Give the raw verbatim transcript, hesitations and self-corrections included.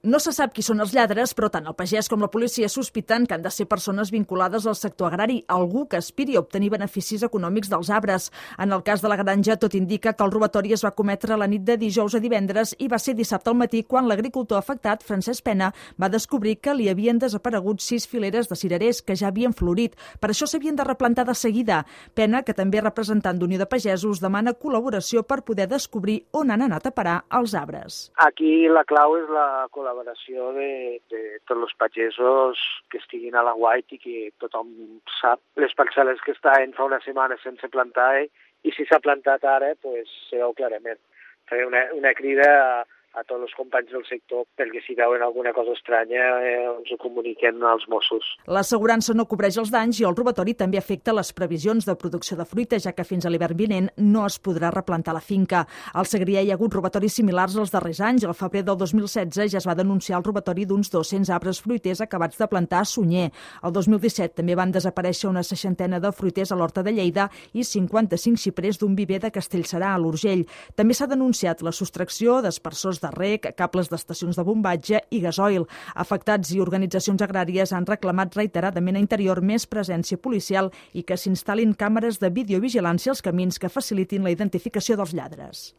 No se sap qui són els lladres, però tant el pagès com la policia sospiten que han de ser persones vinculades al sector agrari, algú que aspiri a obtenir beneficis econòmics dels arbres. En el cas de la granja, tot indica que el robatori es va cometre la nit de dijous a divendres i va ser dissabte al matí quan l'agricultor afectat, Francesc Pena, va descobrir que li havien desaparegut sis fileres de cirerers que ja havien florit. Per això s'havien de replantar de seguida. Pena, que també és representant d'Unió de Pagesos, demana col·laboració per poder descobrir on han anat a parar els arbres. Aquí la clau és la col·laboració col·laboració de, de tots els pagesos que estiguin a la guait i que tothom sap les parcel·les que estan fa una setmana sense plantar i si s'ha plantat ara, pues, se veu clarament. Faré una, una crida a, a tots els companys del sector perquè si veuen alguna cosa estranya eh, ens ho comuniquen als Mossos. L'assegurança no cobreix els danys i el robatori també afecta les previsions de producció de fruita, ja que fins a l'hivern vinent no es podrà replantar la finca. Al Segrià hi ha hagut robatoris similars als darrers anys. Al febrer del dos mil setze ja es va denunciar el robatori d'uns dos-cents arbres fruiters acabats de plantar a Sunyer. El dos mil disset també van desaparèixer una seixantena de fruiters a l'Horta de Lleida i cinquanta-cinc xiprers d'un viver de Castellserà, a l'Urgell. També s'ha denunciat la sostracció d'aspersors de rec, cables d'estacions de bombatge i gasoil. Afectats i organitzacions agràries han reclamat reiteradament a Interior més presència policial i que s'instal·lin càmeres de videovigilància als camins que facilitin la identificació dels lladres.